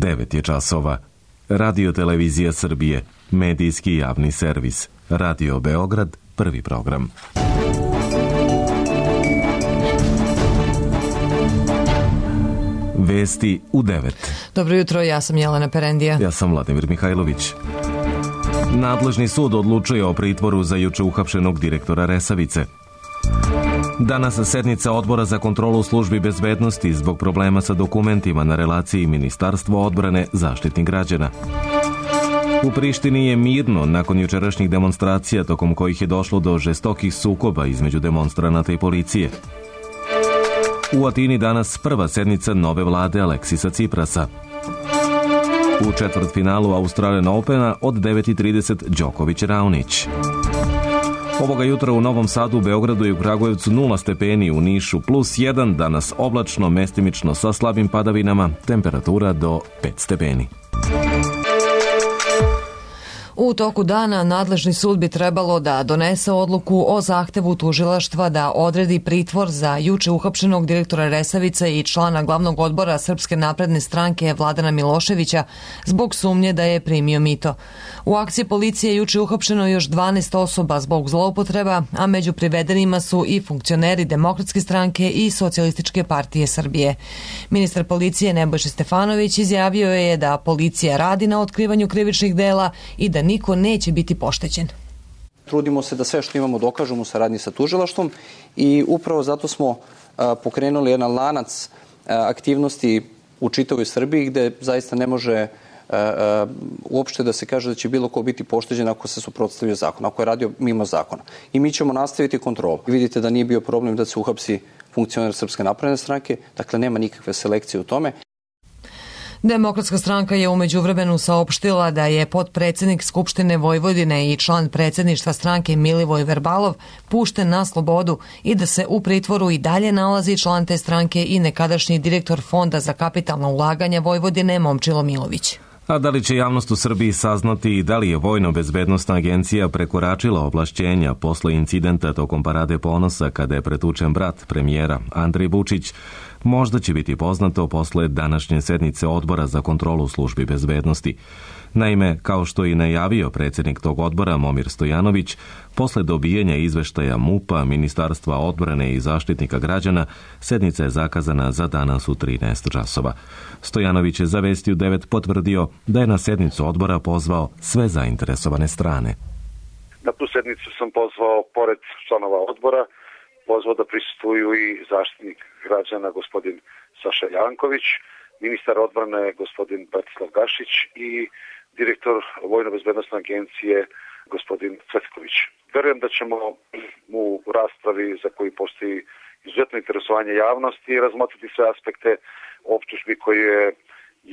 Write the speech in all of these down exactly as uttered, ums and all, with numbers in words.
devet je časova. Radio Televizija Srbije, medijski javni servis. Radio Beograd, prvi program. Vesti u devet. Dobro jutro, ja sam Jelena Perendija. Ja sam Vladimir Mihajlović. Nadležni sud odlučuje o pritvoru za juče uhapšenog direktora Resavice. Danas sednica Odbora za kontrolu službi bezbednosti zbog problema sa dokumentima na relaciji Ministarstvo odbrane Zaštitnik građana. U Prištini je mirno nakon jučerašnjih demonstracija tokom kojih je došlo do žestokih sukoba između demonstranata i policije. U Atini danas prva sednica nove vlade Aleksisa Ciprasa. U četvrtfinalu Australian Opena od devet i trideset Đoković-Raonić. Ovoga jutra u Novom Sadu, Beogradu i u Kragujevcu nula stepeni, u Nišu plus jedan, danas oblačno, mestimično sa slabim padavinama, temperatura do pet stepeni. U toku dana nadležni sud bi trebalo da donese odluku o zahtevu tužilaštva da odredi pritvor za juče uhapšenog direktora Resavice i člana glavnog odbora Srpske napredne stranke Vladana Miloševića zbog sumnje da je primio mito. U akciji policije juče uhapšeno još dvanaest osoba zbog zloupotreba, a među privedenima su i funkcioneri Demokratske stranke i Socijalističke partije Srbije. Ministar policije Nebojša Stefanović izjavio je da policija radi na otkrivanju krivičnih dela i da niko neće biti poštećen. Trudimo se da sve što imamo dokažemo u saradnji sa tužilaštvom i upravo zato smo a, pokrenuli jedan lanac a, aktivnosti u čitavoj Srbiji gde zaista ne može a, a, uopšte da se kaže da će bilo ko biti pošteđen ako se suprotstavio zakon, ako je radio mimo zakona. I mi ćemo nastaviti kontrolu. Vidite da nije bio problem da se uhapsi funkcioner Srpske napredne stranke, dakle nema nikakve selekcije u tome. Demokratska stranka je umeđu vremenu saopštila da je potpredsednik Skupštine Vojvodine i član predsjedništva stranke Milivoj Verbalov pušten na slobodu i da se u pritvoru i dalje nalazi član te stranke i nekadašnji direktor Fonda za kapitalna ulaganja Vojvodine Momčilo Milović. A da li će javnost u Srbiji saznati da li je Vojno-bezbednosna agencija prekoračila ovlašćenja posle incidenta tokom Parade ponosa kada je pretučen brat premijera Andrej Vučić, možda će biti poznato posle današnje sednice Odbora za kontrolu službi bezbednosti. Naime, kao što i najavio predsjednik tog odbora Momir Stojanović, posle dobijanja izveštaja MUP-a, Ministarstva odbrane i Zaštitnika građana, sednica je zakazana za danas u trinaest časova. Stojanović je za Vesti u devet potvrdio da je na sednicu odbora pozvao sve zainteresovane strane. Na tu sednicu sam pozvao, pored članova odbora, pozvao da prisustvuju i Zaštitnik građana gospodin Saša Janković, ministar odbrane gospodin Bratislav Gašić i direktor Vojno-bezbednosne agencije gospodin Cvetković. Verujem da ćemo u raspravi za koju postoji izuzetno interesovanje javnosti razmotriti sve aspekte optužbi koje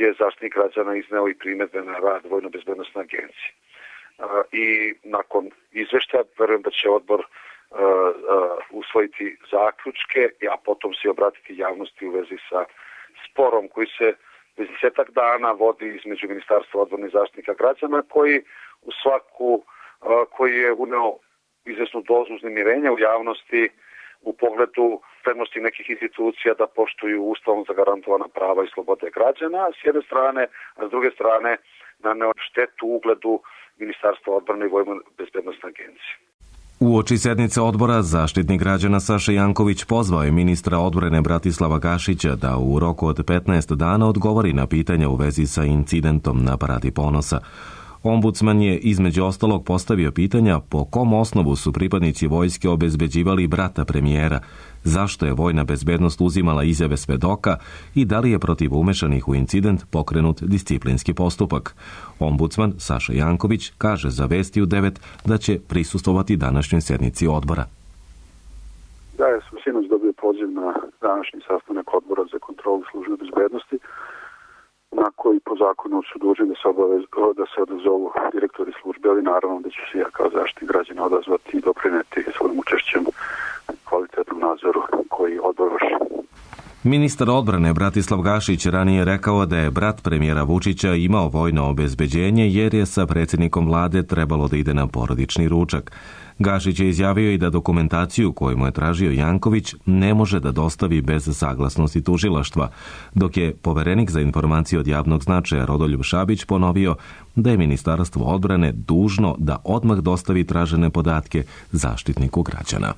je Zaštitnik građana izneo i primedbe na rad Vojno-bezbednosne agencije. I nakon izveštaja verujem da će odbor Uh, uh, usvojiti zaključke, a potom se obratiti javnosti u vezi sa sporom koji se već desetak dana vodi između Ministarstva odbrane i Zaštitnika građana, koji u svaku, uh, koji je uneo izvesnu dozu uznemirenja u javnosti u pogledu spremnosti nekih institucija da poštuju ustavom zagarantovana prava i slobode građana s jedne strane, a s druge strane naneo štetu ugledu Ministarstva odbrane i Vojno-bezbednosne agencije. Uoči sednice odbora, Zaštitnik građana Saša Janković pozvao je ministra odbrane Bratislava Gašića da u roku od petnaest dana odgovori na pitanja u vezi sa incidentom na Paradi ponosa. Ombudsman je između ostalog postavio pitanja po kom osnovu su pripadnici vojske obezbeđivali brata premijera, zašto je vojna bezbednost uzimala izjave svedoka i da li je protiv umešanih u incident pokrenut disciplinski postupak. Ombudsman Saša Janković kaže za Vesti u devet da će prisustvovati današnjoj sednici odbora. Da, ja sam sinoć dobio poziv na današnji sastanak Odbora za kontrolu službe bezbednosti, na koji po zakonu su dužni da se, obavez, da se odazovu direktori službe, ali naravno da ću se ja kao Zaštitnik građana odazvati i doprineti svojim učešćem kvalitetnom nadzoru koji odbor vrši. Ministar odbrane Bratislav Gašić ranije rekao da je brat premijera Vučića imao vojno obezbeđenje jer je sa predsjednikom vlade trebalo da ide na porodični ručak. Gašić je izjavio i da dokumentaciju koju mu je tražio Janković ne može da dostavi bez saglasnosti tužilaštva, dok je poverenik za informacije od javnog značaja Rodoljub Šabić ponovio da je Ministarstvo odbrane dužno da odmah dostavi tražene podatke Zaštitniku građana.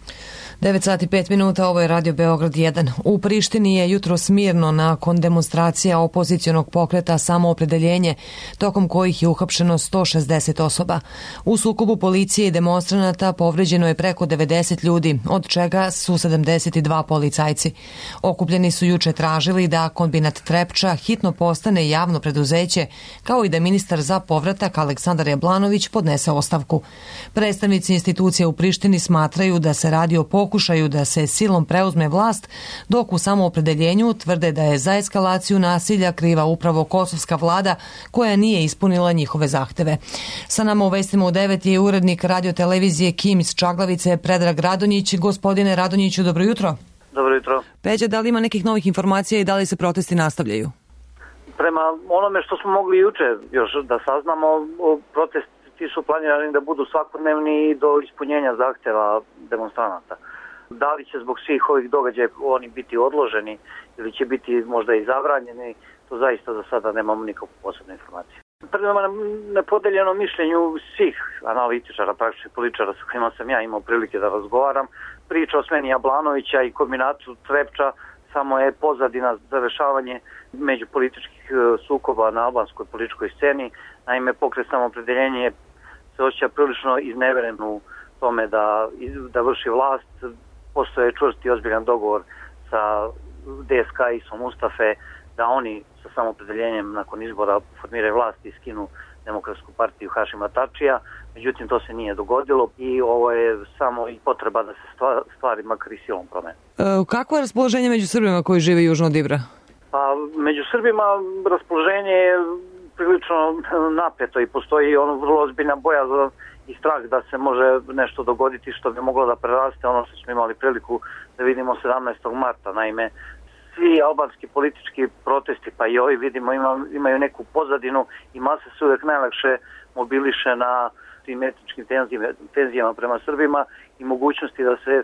devet sati pet minuta, ovo je Radio Beograd jedan. U Prištini je jutros mirno nakon demonstracija opozicionog pokreta Samoopredeljenje, tokom kojih je uhapšeno sto šezdeset osoba. U sukobu policije i demonstranata povređeno je preko devedeset ljudi, od čega su sedamdeset dva policajci. Okupljeni su juče tražili da kombinat Trepča hitno postane javno preduzeće, kao i da ministar za povratak Aleksandar Jablanović podnese ostavku. Predstavnici institucije u Prištini smatraju da se radi o pokušaju da se silom preuzme vlast, dok u Samoopredeljenju tvrde da je za eskalaciju nasilja kriva upravo kosovska vlada koja nije ispunila njihove zahteve. Sa nama u vestima u devet je urednik radiotelevizije Kim iz Čaglavice Predrag Radonjić. Gospodine Radonjiću, dobro jutro. Dobro jutro. Peđa, da li ima nekih novih informacija i da li se protesti nastavljaju? Prema onome što smo mogli juče još da saznamo, protesti su planirani da budu svakodnevni do ispunjenja zahteva demonstranata. Da li će zbog svih ovih događaja oni biti odloženi ili će biti možda i zabranjeni, to zaista za sada nemamo nikakvu posebnu informaciju. Prema nepodeljenom mišljenju svih analitičara, praktičnih političara sa kojima sam ja imao prilike da razgovaram, priča o smeni Jablanovića i kombinatu Trepča samo je pozadina za rešavanje međupolitičkih sukoba na albanskoj političkoj sceni. Naime, pokret Samoopredeljenje se osjeća prilično izneveren u tome da, da vrši vlast. Postoje čvrst i ozbiljan dogovor sa D S K Isom Mustafe da oni sa Samoopredeljenjem nakon izbora formiraju vlast i skinu Demokratsku partiju Hašima Tačija. Međutim, to se nije dogodilo i ovo je samo i potreba da se stvari makar i silom promene. E, kako je raspoloženje među Srbima koji žive južno od Ibra? Pa, među Srbima raspoloženje je prilično napeto i postoji ono vrlo ozbiljna bojazan i strah da se može nešto dogoditi što bi moglo da preraste ono što smo imali priliku da vidimo sedamnaestog marta. Naime, svi albanski politički protesti, pa i ovi vidimo ima, imaju neku pozadinu i masa se uvek najlakše mobiliše na tim etničkim tenzijama, tenzijama prema Srbima i mogućnosti da se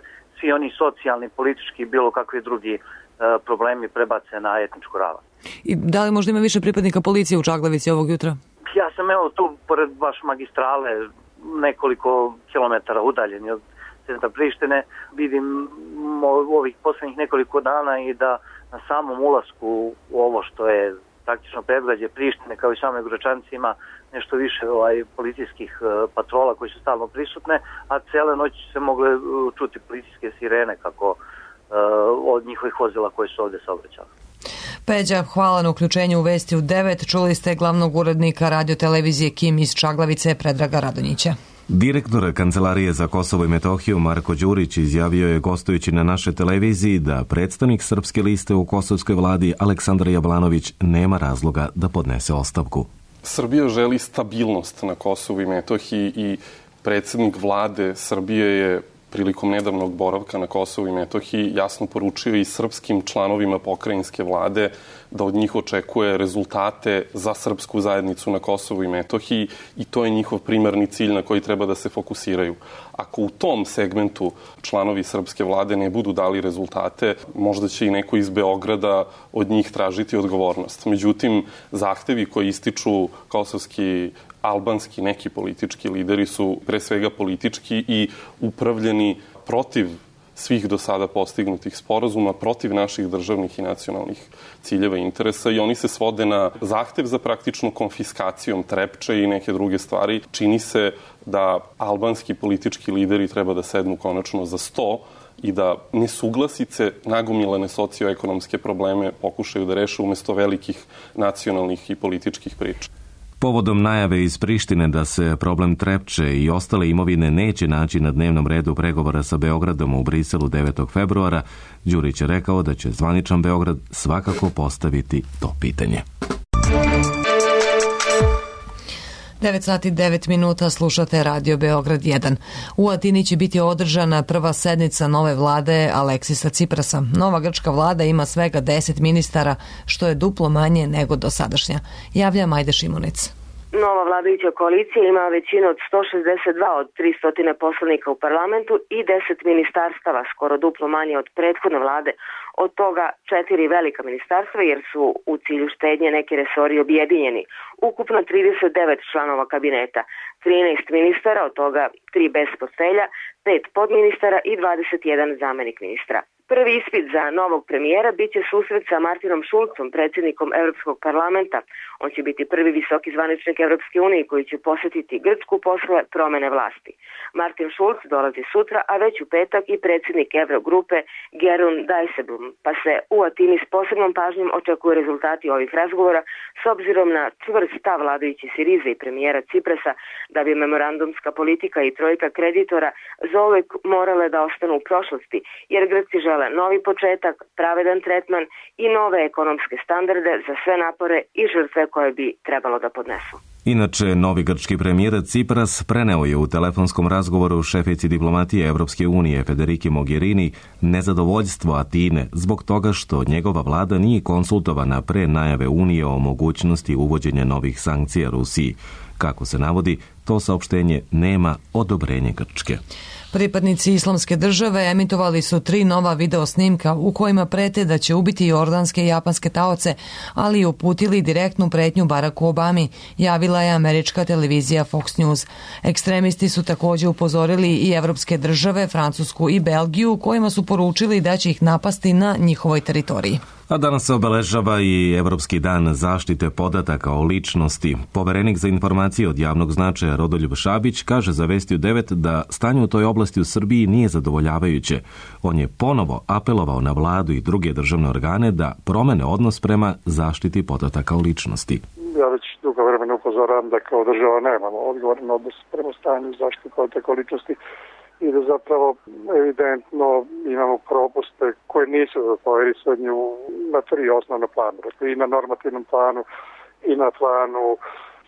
svi oni socijalni, politički i bilo kakvi drugi e, problemi prebace na etničku ravan. I da li možda ima više pripadnika policije u Čaglavici ovog jutra? Ja sam evo tu pored baš magistrale nekoliko kilometara udaljeni od centra Prištine. Vidim ovih poslednjih nekoliko dana i da na samom ulasku u ovo što je praktično predgrađe Prištine kao i same Gračanice ima nešto više ovaj, policijskih uh, patrola koji su stalno prisutne, a cele noći se mogle uh, čuti policijske sirene kako uh, od njihovih vozila koji su ovde saobraćali. Peđa, hvala na uključenju u Vesti u devet. Čuli ste glavnog urednika radiotelevizije Kim iz Čaglavice Predraga Radonjića. Direktor Kancelarije za Kosovo i Metohiju Marko Đurić izjavio je gostujući na našoj televiziji da predstavnik Srpske liste u kosovskoj vladi Aleksandar Jablanović nema razloga da podnese ostavku. Srbija želi stabilnost na Kosovu i Metohiji i predsednik vlade Srbije je prilikom nedavnog boravka na Kosovu i Metohiji jasno poručio i srpskim članovima pokrajinske vlade da od njih očekuje rezultate za srpsku zajednicu na Kosovu i Metohiji i to je njihov primarni cilj na koji treba da se fokusiraju. Ako u tom segmentu članovi srpske vlade ne budu dali rezultate, možda će i neko iz Beograda od njih tražiti odgovornost. Međutim, zahtevi koji ističu kosovski albanski neki politički lideri su pre svega politički i upravljeni protiv svih do sada postignutih sporazuma, protiv naših državnih i nacionalnih ciljeva i interesa i oni se svode na zahtev za praktičnu konfiskacijom Trepče i neke druge stvari. Čini se da albanski politički lideri treba da sednu konačno za sto i da nesuglasice, nagomilane socioekonomske probleme pokušaju da reše umesto velikih nacionalnih i političkih priča. Povodom najave iz Prištine da se problem Trepče i ostale imovine neće naći na dnevnom redu pregovora sa Beogradom u Briselu devetog februara, Đurić je rekao da će zvaničan Beograd svakako postaviti to pitanje. devet sati devet minuta, slušate Radio Beograd jedan. U Atini će biti održana prva sednica nove vlade Aleksisa Ciprasa. Nova grčka vlada ima svega deset ministara, što je duplo manje nego dosadašnja. Javlja Majde Šimunic. Nova vladajuća koalicija ima većinu od sto šezdeset dva od tristo poslanika u parlamentu i deset ministarstava, skoro duplo manje od prethodne vlade. Od toga četiri velika ministarstva jer su u cilju štednje neki resori objedinjeni. Ukupno trideset devet članova kabineta, trinaest ministara, od toga tri bez portfelja, pet podministara i dvadeset jedan zamenik ministra. Prvi ispit za novog premijera biće susret sa Martinom Šulcom, predsjednikom Evropskog parlamenta. On će biti prvi visoki zvaničnik Evropske unije koji će posjetiti Grčku posle promene vlasti. Martin Šulc dolazi sutra, a već u petak i predsjednik Evrogrupe Gerun Dijsselbloem, pa se u Atini s posebnom pažnjom očekuju rezultati ovih razgovora s obzirom na čvrst stav vladajući Sirize i premijera Ciprasa da bi memorandumska politika i trojka kreditora zauvek morale da ostanu u prošlosti, jer Grci žele novi početak, pravedan tretman i nove ekonomske standarde za sve napore i žrtve koje bi trebalo da podnesu. Inače, novi grčki premijer Cipras preneo je u telefonskom razgovoru šefici diplomatije Evropske unije Federiki Mogherini nezadovoljstvo Atine zbog toga što njegova vlada nije konsultovana pre najave Unije o mogućnosti uvođenja novih sankcija Rusiji. Kako se navodi, to saopštenje nema odobrenje Grčke. Pripadnici Islamske države emitovali su tri nova video snimka u kojima prete da će ubiti jordanske i japanske taoce, ali i uputili direktnu pretnju Baracku Obami, javila je američka televizija Fox News. Ekstremisti su također upozorili i evropske države, Francusku i Belgiju, kojima su poručili da će ih napasti na njihovoj teritoriji. A danas se obeležava i Evropski dan zaštite podataka o ličnosti. Poverenik za informacije od javnog značaja Rodoljub Šabić kaže za Vesti u devet da stanje u toj oblasti u Srbiji nije zadovoljavajuće. On je ponovo apelovao na vladu i druge državne organe da promene odnos prema zaštiti podataka o ličnosti. Ja već dugo vremena upozoravam da kao država nemamo odgovoran odnos prema stanju zaštite podataka o ličnosti i da zapravo evidentno imamo propuste koje nisu poverisani na tri osnovna plana. Dakle, i na normativnom planu, i na planu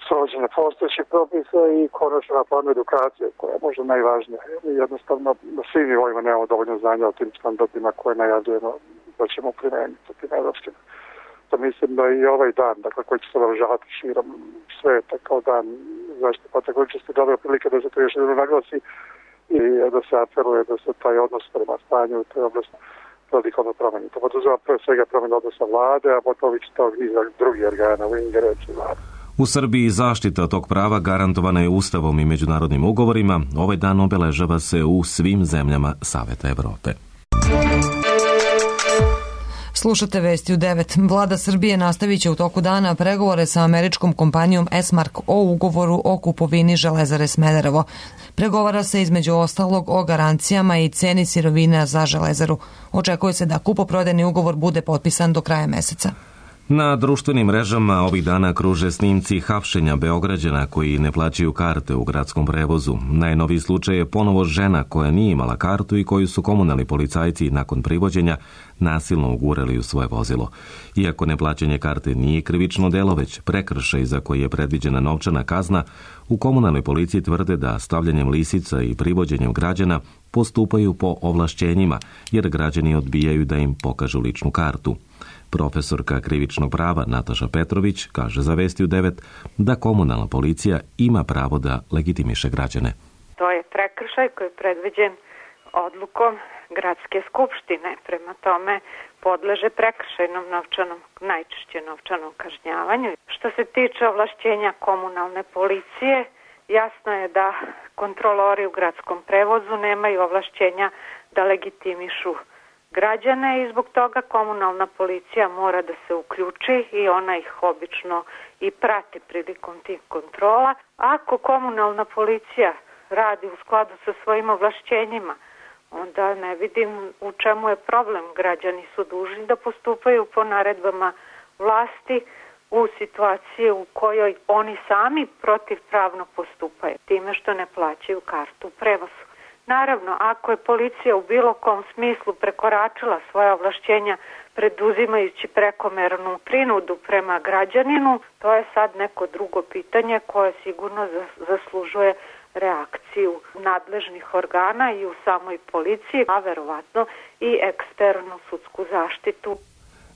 srođenja postojećih propisa i konačno na planu edukacije, koja je možda najvažnija. Jednostavno, na svim nivoima nemamo dovoljno znanja o tim standardima koje najavljujemo da ćemo primeniti u tim evropskim. To mislim da i ovaj dan, dakle, koji će se obeležavati širom sveta kao dan zaštite podataka o ličnosti, dobra prilika da se to još jedno naglasi i da se apeluje da se taj odnos prema stanju u toj oblasti radikalno promeni. To poduzeva pre svega promena odnosa vlade, a potom već tog niza drugih organa u ingerenciji vlade. U Srbiji zaštita tog prava garantovana je Ustavom i međunarodnim ugovorima. Ovaj dan obeležava se u svim zemljama Saveta Evrope. Slušate Vesti u devet. Vlada Srbije nastavit će u toku dana pregovore sa američkom kompanijom Esmark o ugovoru o kupovini Železare Smederevo. Pregovara se između ostalog o garancijama i ceni sirovina za Železaru. Očekuje se da kupoprodajni ugovor bude potpisan do kraja meseca. Na društvenim mrežama ovih dana kruže snimci hapšenja Beograđana koji ne plaćaju karte u gradskom prevozu. Najnoviji slučaj je ponovo žena koja nije imala kartu i koju su komunalni policajci nakon privođenja nasilno ugurali u svoje vozilo. Iako neplaćanje karte nije krivično delo, već prekršaj za koji je predviđena novčana kazna, u komunalnoj policiji tvrde da stavljanjem lisica i privođenjem građana postupaju po ovlašćenjima, jer građani odbijaju da im pokažu ličnu kartu. Profesorka krivičnog prava Nataša Petrović kaže za Vesti u devet da komunalna policija ima pravo da legitimiše građane. To je prekršaj koji je predviđen odlukom gradske skupštine. Prema tome podleže prekršajnom novčanom, najčešće novčanom kažnjavanju. Što se tiče ovlašćenja komunalne policije, jasno je da kontrolori u gradskom prevozu nemaju ovlašćenja da legitimišu građane i zbog toga komunalna policija mora da se uključi i ona ih obično i prati prilikom tih kontrola. Ako komunalna policija radi u skladu sa svojim ovlašćenjima, onda ne vidim u čemu je problem. Građani su dužni da postupaju po naredbama vlasti u situaciji u kojoj oni sami protivpravno postupaju, time što ne plaćaju kartu u prevozu. Naravno, ako je policija u bilo kom smislu prekoračila svoje ovlašćenja preduzimajući prekomernu prinudu prema građaninu, to je sad neko drugo pitanje koje sigurno zaslužuje reakciju nadležnih organa i u samoj policiji, a verovatno i eksternu sudsku zaštitu.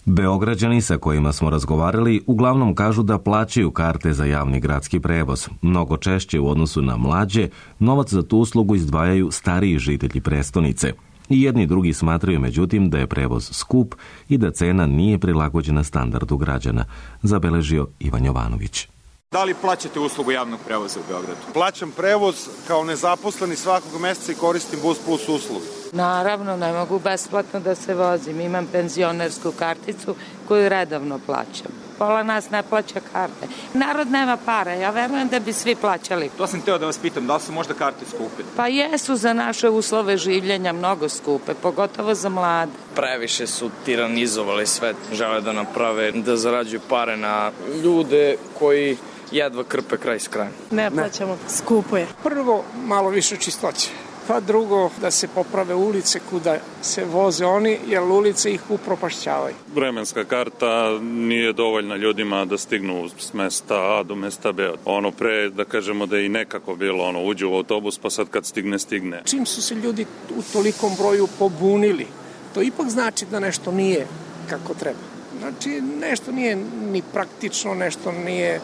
Beograđani sa kojima smo razgovarali uglavnom kažu da plaćaju karte za javni gradski prevoz. Mnogo češće u odnosu na mlađe, novac za tu uslugu izdvajaju stariji žitelji prestonice. I jedni i drugi smatraju, međutim, da je prevoz skup i da cena nije prilagođena standardu građana, zabeležio Ivan Jovanović. Da li plaćate uslugu javnog prevoza u Beogradu? Plaćam prevoz kao nezaposleni svakog meseca i koristim Bus Plus uslugu. Naravno, ne mogu besplatno da se vozim. Imam penzionersku karticu koju redovno plaćam. Pola nas ne plaća karte. Narod nema para, ja verujem da bi svi plaćali. To sam hteo da vas pitam, da li su možda karte skupe? Pa jesu za naše uslove življenja mnogo skupe, pogotovo za mlade. Previše su tiranizovali sve, žele da naprave, da zarađuju pare na ljude koji jedva krpe kraj s krajem. Ne plaćamo, skupo je. Prvo, malo više čistoće. Pa drugo, da se poprave ulice kuda se voze oni, jer ulice ih upropašćavaju. Vremenska karta nije dovoljna ljudima da stignu s mesta A do mesta B. Ono pre, da kažemo da je i nekako bilo, ono, uđu u autobus, pa sad kad stigne, stigne. Čim su se ljudi u tolikom broju pobunili, to ipak znači da nešto nije kako treba. Znači, nešto nije ni praktično, nešto nije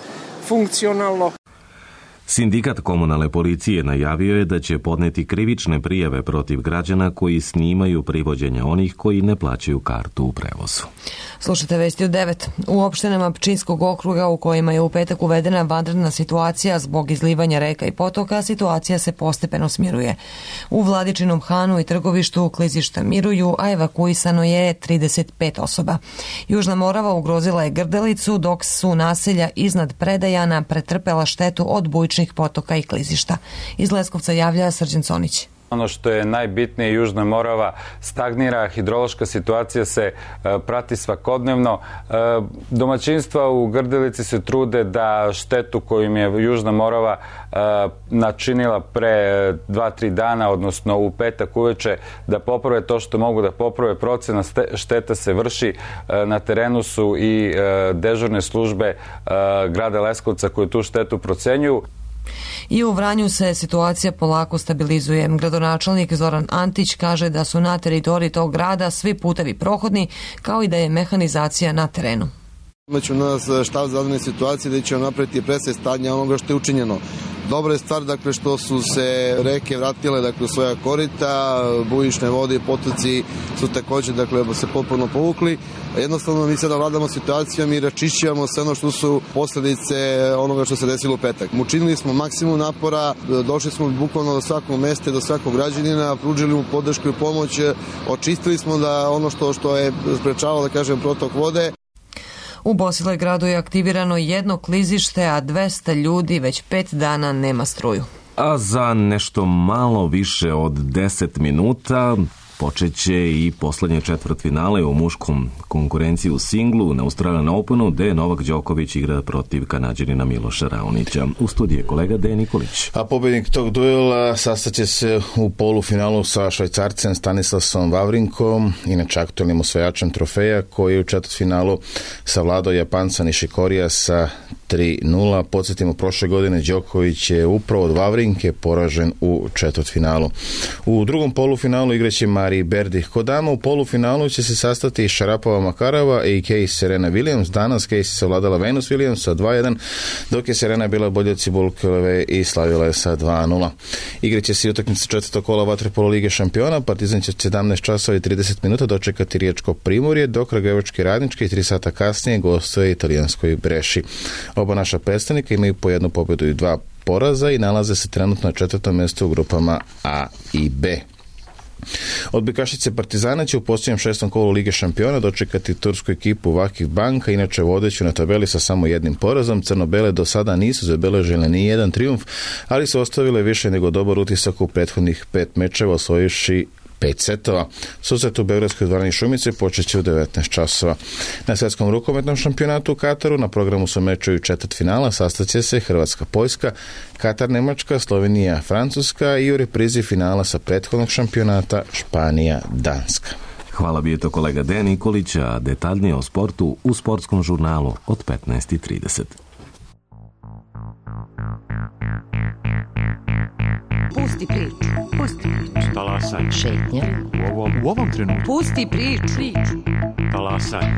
funkcionalno. Sindikat komunalne policije najavio je da će podneti krivične prijave protiv građana koji snimaju privođenja onih koji ne plaćaju kartu u prevozu. Slušajte vesti u devet. U opštinama Pčinjskog okruga u kojima je u petak uvedena vanredna situacija zbog izlivanja reka i potoka, situacija se postepeno smiruje. U Vladičinom Hanu i Trgovištu klizišta miruju, a evakuisano je trideset pet osoba. Južna Morava ugrozila je Grdelicu, dok su naselja iznad Predajana pretrpela štetu od bujičnih potoka i klizišta. Iz Leskovca javlja Srđan Conić. Ono što je najbitnije, Južna Morava stagnira, hidrološka situacija se e, prati svakodnevno. E, domaćinstva u Grdelici se trude da štetu koju im je Južna Morava e, načinila pre dva tri dana, odnosno u petak uveče, da poprave to što mogu da poprave. Procena šteta se vrši. E, na terenu su i e, dežurne službe e, grada Leskovca koje tu štetu procenjuju. I u Vranju se situacija polako stabilizuje. Gradonačelnik Zoran Antić kaže da su na teritoriji tog grada svi putevi prohodni, kao i da je mehanizacija na terenu. Imaće u nas štab za vanredne situacije da će napraviti presek stanja onoga što je učinjeno. Dobra je stvar, dakle, što su se reke vratile, dakle, u svoja korita, bujične vode i potoci su također, dakle, se potpuno povukli. Jednostavno mi sada vladamo situacijom i račišćavamo sve ono što su posljedice onoga što se desilo u petak. Učinili smo maksimum napora, došli smo bukvalno do svakog mesta, do svakog građanina, pružili mu podršku i pomoć, očistili smo da ono što, što je sprečavalo, da kažem, protok vode. U Bosilegradu je aktivirano jedno klizište, a dvesta ljudi već pet dana nema struju. A za nešto malo više od deset minuta počeće i poslednje četvrtfinale u muškom konkurenciji u singlu na Australian Openu, gde Novak Đoković igra protiv Kanađanina Miloša Raonića. U studiju je kolega Dejan Nikolić. A pobednik tog duela sastaće se u polufinalu sa Švajcarcem Stanislasom Vavrinkom, inače aktualnim osvajačem trofeja, koji je u četvrtfinalu savladao Japanca Nishikorija sa tri nula. Podsjetimo, prošle godine Đoković je upravo od Vavrinke poražen u četvrtfinalu. U drugom polufinalu igraće Mari Berdih kod dama. U polufinalu će se sastati Šarapova Makarova i Kej Serena Williams. Danas Kej se savladala Venus Williams sa dva jedan, dok je Serena bila bolje od Cibulkove i slavila je sa dva nula. Igraće se i utakmica četvrtog kola vaterpolo lige šampiona. Partizan će sedamnaest časova i trideset minuta dočekati Riječko Primorje, dok Kragujevački Radnički tri sata kasnije gostuje italijanskoj Breši. Oba naša predstavnika imaju po jednu pobedu i dva poraza i nalaze se trenutno na četvrtom mjestu u grupama A i B. Odbojkašice Partizana će u posljednjem šestom kolu Lige šampiona dočekati tursku ekipu Vakif Banka, inače vodeću na tabeli sa samo jednim porazom. Crno-bele do sada nisu zabeležile ni jedan trijumf, ali su ostavile više nego dobar utisak u prethodnih pet mečeva, osvojivši pet setova. Susret u Beogradskoj dvorani Šumice počeće u devetnaest časova. Na svjetskom rukometnom šampionatu u Kataru na programu su mečevi četvrtfinala, sastaće se Hrvatska-Poljska, Katar-Nemačka, Slovenija-Francuska i u reprizi finala sa prethodnog šampionata Španija-Danska. Hvala, bio je to kolega Dejan Nikolić, a detaljnije o sportu u sportskom žurnalu od petnaest i trideset. Pusti priču. Pusti priču. Talasaj. Šetnja. U ovom, u ovom trenutku. Pusti priču. priču. Talasaj.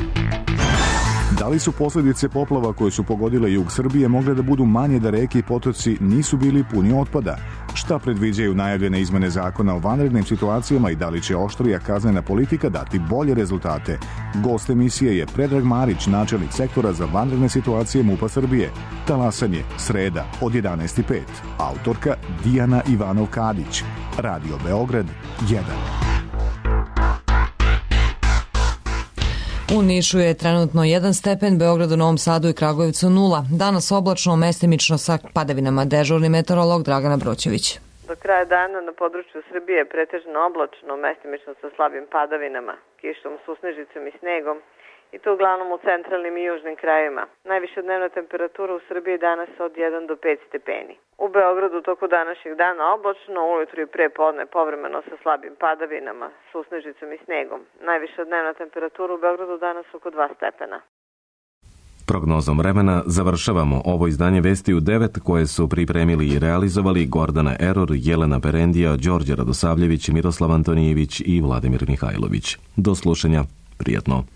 Da li su posljedice poplava koje su pogodile jug Srbije mogle da budu manje da reke i potoci nisu bili puni otpada? Šta predviđaju najavljene izmene zakona o vanrednim situacijama i da li će oštrija kaznena politika dati bolje rezultate? Gost emisije je Predrag Marić, načelnik sektora za vanredne situacije MUP-a Srbije. Talasanje, sreda od jedanaest i pet. Autorka Dijana Ivanov-Kadić. Radio Beograd jedan. U Nišu je trenutno jedan stepen, Beogradu, Novom Sadu i Kragujevcu nula. Danas oblačno, mestimično sa padavinama. Dežurni meteorolog Dragana Broćević. Do kraja dana na području Srbije je pretežno oblačno, mestimično sa slabim padavinama, kišom, susnežicom i snegom, i to uglavnom u centralnim i južnim krajevima. Najviša dnevna temperatura u Srbiji danas od jedan do pet stepeni. U Beogradu toku današnjeg dana oblačno, ujutru i pre podne povremeno sa slabim padavinama, susnežicom i snegom. Najviša dnevna temperatura u Beogradu danas oko dva stepena. Prognozom vremena završavamo ovo izdanje Vesti u devet koje su pripremili i realizovali Gordana Eror, Jelena Perendija, Đorđe Radosavljević, Miroslav Antonijević i Vladimir Mihajlović. Do slušanja, prijatno.